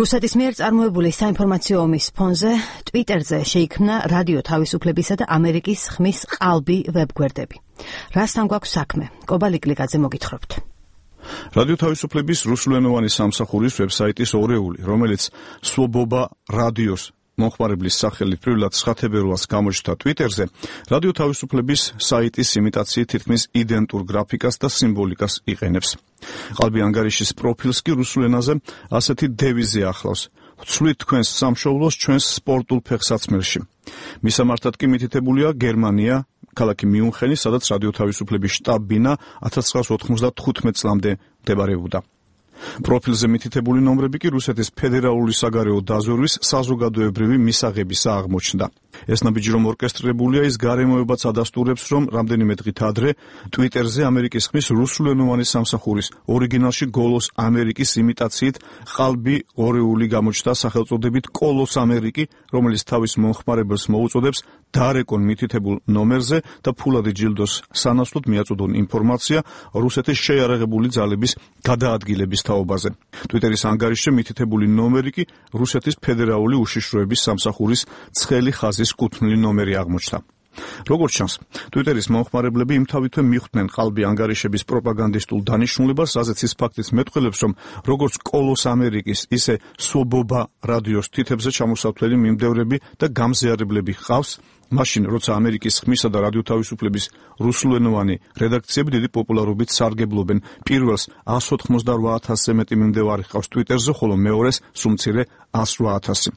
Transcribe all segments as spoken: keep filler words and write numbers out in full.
რუსეთის მიერ წარმოებული საინფორმაციო ომის ფონზე ტვიტერზე შეიქმნა რადიო თავისუფლებისა და ამერიკის ხმის ყალბი ვებგვერდები. რასთან გვაქვს საქმე? კობალი კლიკაძე მოგითხრობთ. რადიო თავისუფლების რუსულენოვანი სამსახურის ვებსაიტის ორეული, რომელიც სვობობა რადიოს მომხმარებლის სახელით პირველად სხათებერვალს გამოჩნდა ტვიტერზე, რადიო თავისუფლების საიტის იმიტაციით თითქმის იდენტურ გრაფიკას და სიმბოლიკას იყენებს. ყალბი ანგარიშის პროფილს კი რუსულ ენაზე ასეთი დევიზი ახლავს: ვცვლით თქვენს სამშობლოს ჩვენს სპორტულ ფეხსაცმელში. მისამართად კი მითითებულია გერმანია, ქალაქი მიუნხენი, სადაც რადიო თავისუფლების შტაბ-ბინა ათას ცხრაას ოთხმოცდათხუთმეტ წლამდე მდებარეობდა. პროფილზე მითითებული ნომრები კი რუსეთის ფედერალური საგარეო დაზვერვის საზოგადოებრივი მისაღებისა აღმოჩნდა. ეს ნაბიჯი რომ ორკესტრირებულია, ის გარემოებაც ადასტურებს, რომ რამდენიმე დღით ადრე ტვიტერზე ამერიკის ხმის რუსულენოვანი სამსახურის ორიგინალში გოლოს ამერიკის იმიტაციით ყალბი ორეული გამოჩნდა სახელწოდებით კოლოს ამერიკი, რომელიც თავის მომხმარებელს მოუწოდებს დარეკონ მითითებულ ნომერზე და ფულადი ჯილდოს სანაცვლოდ მიაწოდონ ინფორმაცია რუსეთის შეიარაღებული ძალების გადაადგილების თაობაზე. ტვიტერის ანგარიშზე მითითებული ნომერი კი რუსეთის ფედერალური უშიშროების სამსახურის ცხელი ხაზის კუთვნილი ნომერი აღმოჩნდა. როგორც ჩანს, ტვიტერის მომხმარებლები იმთავითვე მიხვდნენ ყალბი ანგარიშების პროპაგანდისტულ დანიშნულებას, რაზეც ის ფაქტიც მეტყველებს, რომ როგორც კოლოს ამერიკის, ისე სვობობა რადიოს თითებზე ჩამოსავთვლელი მიმდევრები და გამზიარებლები ჰყავს, მაშინ, როცა ამერიკის ხმისა და რადიო თავისუფლების რუსულენოვანი რედაქციები დიდი პოპულარობით სარგებლობენ. პირველს ას ოთხმოცდარვა ათასზე მეტი მიმდევარი ჰყავს ტვიტერზე, ხოლო მეორეს სულ მცირე ას რვა ათასი.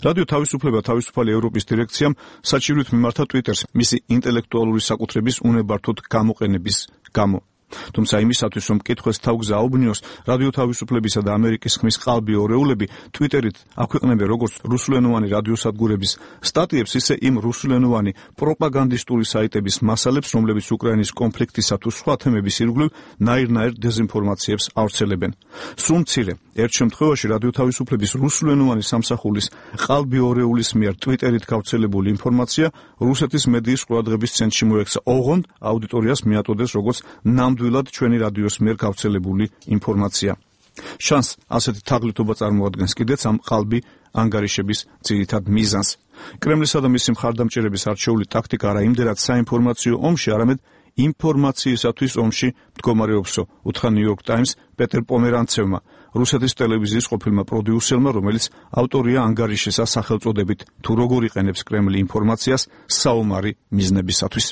რადიო თავისუფლება თავისუფალი ევროპის დირექციამ საჭიროით მიმართა ტვიტერს მისი ინტელექტუალური საკუთრების უნებართოდ გამოყენების გამო. თუმცა იმისათვის, რომ მკითხველს თავგზა აუბნიოს, რადიო თავისუფლებისა და ამერიკის ხმის ყალბი ორეულები ტვიტერით აქვეყნებენ როგორც რუსულენოვანი რადიოსადგურების სტატიებს, ისე იმ რუსულენოვანი პროპაგანდისტული საიტების მასალებს, რომლებიც უკრაინის კონფლიქტისა თუ სხვა თემების ირგვლივ ნაირ-ნაირ დეზინფორმაციებს ავრცელებენ. სულ მცირე, ერთ შემთხვევაში რადიო თავისუფლების რუსულენოვანი სამსახურის ყალბი ორეულის მიერ ტვიტერით გავრცელებული ინფორმაცია რუსეთის მედიის ყურადღების ცენტრში მოექცა, ოღონდ აუდიტორიას მიაწოდეს როგორც ნამდვილად ჩვენი რადიოს მიერ გავრცელებული ინფორმაცია. შანს ასეთი თაღლითობა წარმოადგენს კიდეც ამ ყალბი ანგარიშების ძირითად მიზანს. კრემლისა და მისი მხარდამჭერების არჩეული ტაქტიკა არა იმდენად საინფორმაციო ომში, არამედ ინფორმაციისათვის ომში მდგომარეობსო, უთხრა New York Times პეტერ პომერანცევმა, რუსეთის ტელევიზიის ყოფილმა პროდიუსერმა, რომელიც ავტორია ანგარიშისა სახელწოდებით თუ როგორ იყენებს კრემლი ინფორმაციას საომარი მიზნებისათვის.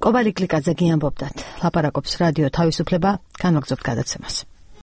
კობალი კლიკაძე გიამბობდათ, ლაპარაკობს რადიო თავისუფლება, განვაგრძობთ გადაცემას.